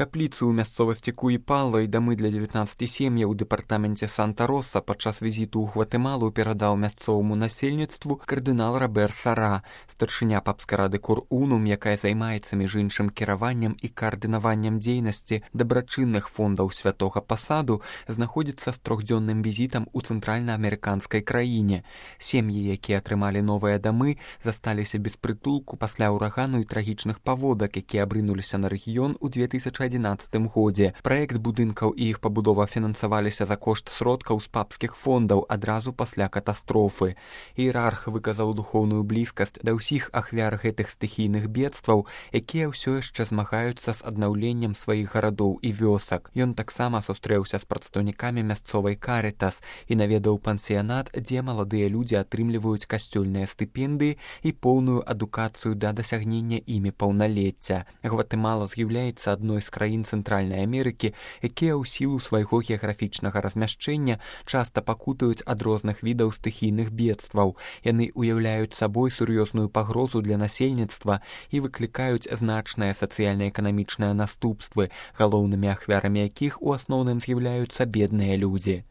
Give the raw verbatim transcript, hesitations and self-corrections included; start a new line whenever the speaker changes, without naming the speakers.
Капліцу ў мясцовасці Куіпала і дамы для дзевятнаццаці сем'яў у дэпартаменце Санта-Роса падчас візіту ў Гватэмалу перадаў мясцоваму насельніцтву кардынал Робер Сара, старшыня папскай рады Кур-Унум, якая займаецца між іншым кіраваннем і каардынаваннем дзейнасці дабрачынных фондаў святога пасаду, знаходзіцца з трохдзённым візітам у цэнтральнаамерыканскай краіне. Сем'і, якія атрымалі новыя дамы, засталіся без прытулку пасля ўрагану і трагічных паводак, якія абрынуліся на рэгіён у две тысячы адзінаццатым годзе. Праект будынкаў і іх пабудова фінансаваліся за кошт сродкаў з папскіх фондаў адразу пасля катастрофы. Іерарх выказаў духоўную блізкасць да ўсіх ахвяр гэтых стыхійных бедстваў, якія ўсё яшчэ змагаюцца з аднаўленнем сваіх гарадоў і вёсак. Ён таксама сустрэўся з прадстаўнікамі мясцовай Карытас і наведаў пансіянат, дзе маладыя людзі атрымліваюць касцёльныя стыпендыі і поўную адукацыю да дасягнення імі паўналецця. Гватэмала з'яўляецца адной з краін Цэнтральнай Амерыкі, якія ў сілу свайго геаграфічнага размяшчэння часта пакутаюць ад розных відаў стыхійных бедстваў. Яны ўяўляюць сабой сур'ёзную пагрозу для насельніцтва і выклікаюць значныя сацыяльна-эканамічныя наступствы, галоўнымі ахвярамі якіх у асноўным з'яўляюцца бедныя людзі.